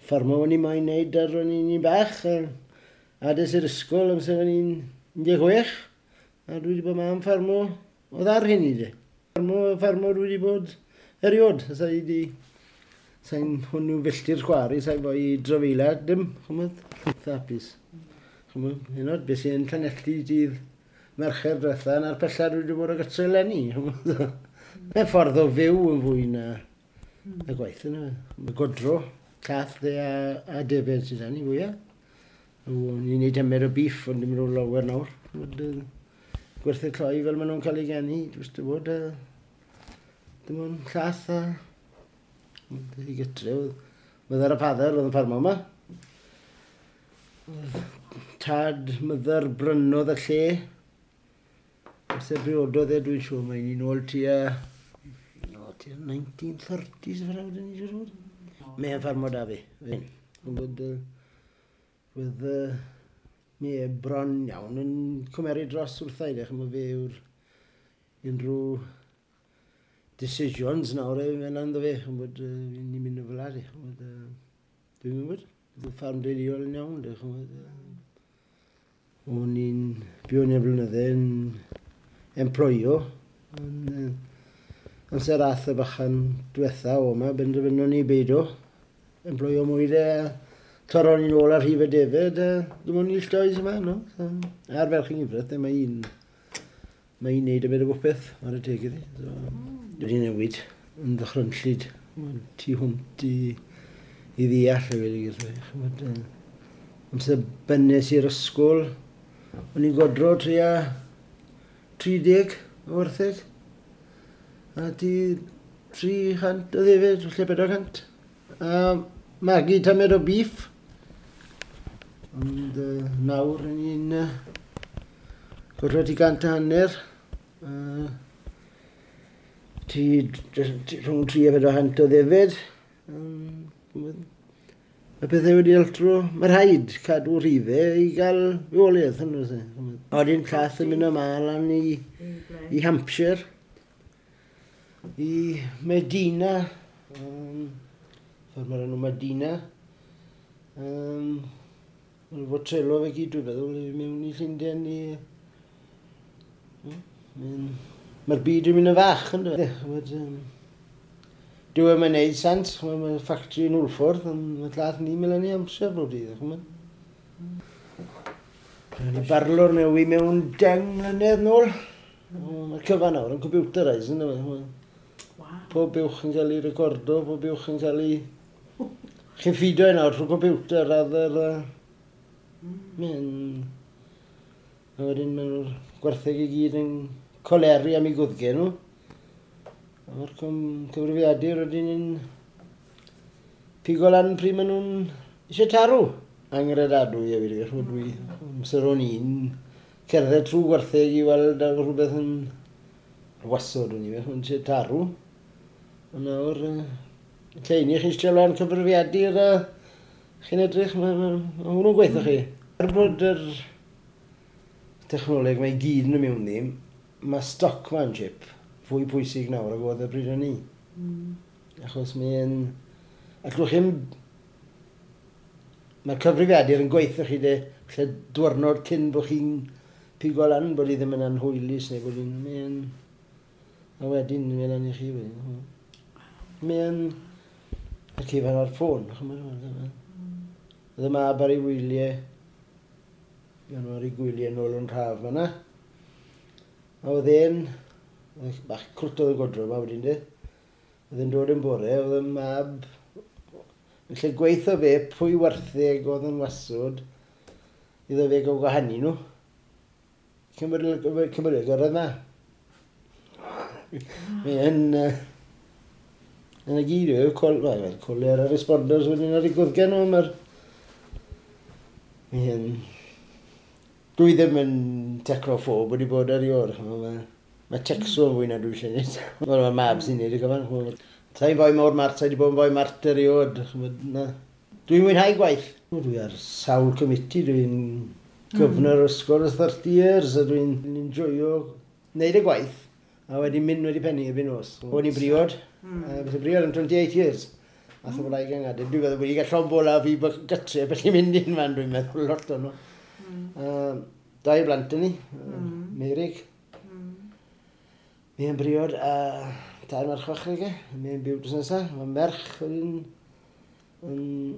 Ffarmo o'n i moyn neud ar o'n i'n bach. A des i'r ysgol amser o'n i'n 16. A dwi wedi bod ma'n ffarmo oedd ar hynny de. Ffarmo dwi wedi bod eriod. Sa i di... Sa'n hwnnw filltir chwarae, sa'n fwy i drafeila, dim, chymod, hapus. Chymod, hyn oed, beth sy'n Llanelli dydd Mercher diwetha, na'r pella dwi wedi bod o gytre eleni. Mae'n ffordd o fyw yn fwy na y gwaith yna. Mae godro, llath dde a defed sydd ni fwyaf. Ni'n neud tymer o beef, ond dim rhyw lawer nawr. Gwerthu cloi fel maen nhw'n cael ei geni, dwi'n bod, dim ond llath a i gytre. Myddar a father oedd yn ffarmo yma. Tad myddar brynodd y lle. Amser briododd e, dwi'n siŵr, mae'n un ôl tua, no, tua 1930s fel awdyn ni, siŵr fod. Mae'n ffarmo da fi. Bod, Wedd mi e bron iawn yn cymeru dros wrtha i, chymod, fe yw'r unrhyw decisions nawr e, mae'n ynddo fe, chymod, ni'n mynd yn fel 'a, chymod, dwi'n gwybod, ffarm deuluol yn iawn, de, chymod. O'n i'n byw yn y blynydde yn employo, ond amser ath y bachan diwetha o yma, benderfynon ni beido, employo mwy de, torron ni'n ôl ar rhif y defed, dim ond ill does yma, no? So, a'r ferch yng Nghyfraith, mae un neud y byd o bopeth ar y teg iddi. So, wedi newid yn ddychrynllyd, tu hwnt i ddeall y wedi gyda. Chymod, amser bynnes i'r ysgol, o'n i'n godro tua 30 o wartheg. A ti 300 o ddefed, falle 400. A magu tamed o beef. Ond nawr yn ni'n godro ti 150. Ti rhwng 3 a 400 o ddefed. Mae pethau wedi altro, mae rhaid cadw rhifau i gael fywoliaeth. A wedyn llath yn mynd yma lan i Hampshire, i Medina, ffordd mae'r enw Medina. Mae'n fod trelo fe gyd, dwi'n meddwl, i mewn i Llundain i... Mae'r byd yn mynd yn fach, ynddo fe? Dyw e'n neud sens, mae'r ffactri yn Hwlffordd, ond mae llath ni'n mynd yn ei amser bob dydd, chymod. Ni barlwr newi mewn 10 mlynedd nôl. Mae'r cyfan nawr yn computerised, ynddo fe? Wow. Pob buwch yn cael ei recordo, pob buwch yn cael ei... Chi'n ffido e nawr trwy computer rather... Mae'n... A wedyn maen nhw'r gwartheg i gyd yn coleri am eu gwddge nhw. A mae'r cyfrifiadur wedyn yn pigo lan pryd maen nhw'n eisiau tarw. Angredadwy a fi, ch'mod, dwi, amser o'n i'n cerdded trwy gwartheg i weld a rhywbeth yn wasod o'n i, ch'mod, eisiau tarw. Ond nawr, lle i ni, chi'n eistedd lan cyfrifiadur a chi'n edrych, ma hwnnw'n gweithio chi. Er bod yr technoleg mae i gyd yn y mewn ddim, mae stockmanship fwy pwysig nawr ag oedd y bryd o'n i. Achos mae'n... Allwch chi'm... Mae'r cyfrifiadur yn gweithio chi de, lle diwrnod cyn bod chi'n pigo lan bod hi ddim yn anhwylus neu bod hi'n... Mae'n... A wedyn, mae'n lan i chi wedyn. Mae'n... Y cyfan ar ffôn, ch'mod, Oedd y mab ar ei wyliau, fuon nhw ar ei gwyliau nôl yn rhaf fan'na. A oedd e'n, oedd bach crwt oedd y godro yma wedyn de. Oedd e'n dod yn bore, oedd y mab, yn lle gweithio fe pwy wartheg oedd yn wasod, iddo fe gael gwahanu nhw. Cymryd y gyrraedd yma. Mae'n... Yn y gyd yw, coler a responders wedyn ar ei gwddgen nhw, mae'r... Mae'n... Dwi ddim yn technophobe wedi bod erioed, ch'mo', mae texo yn fwy na dwi eisiau gwneud. Wel, mae mab sy'n neud y cyfan, ch'mo'. Sa i'n foi mor mart, sa i wedi bod yn foi mart erioed, ch'mod, na. Dwi'n mwynhau gwaith. Dwi ar sawl committee, dwi'n governor ysgol ers 30 years, a dwi'n enjoyo wneud y gwaith, a wedyn mynd wedi pennu erbyn nos. O'n i'n briod, a beth briod am 28 years. Ath y wraig yng Nghaerdydd. Dwi'n meddwl wedi cael llond bola fi gytre, beth i'n mynd un fan, dwi'n meddwl lot o'n nhw. Dau blant yn ni, Meirig. Mi yn briod a tair merch fach ag e. Mi yn byw drws nesaf. Mae merch wedyn yn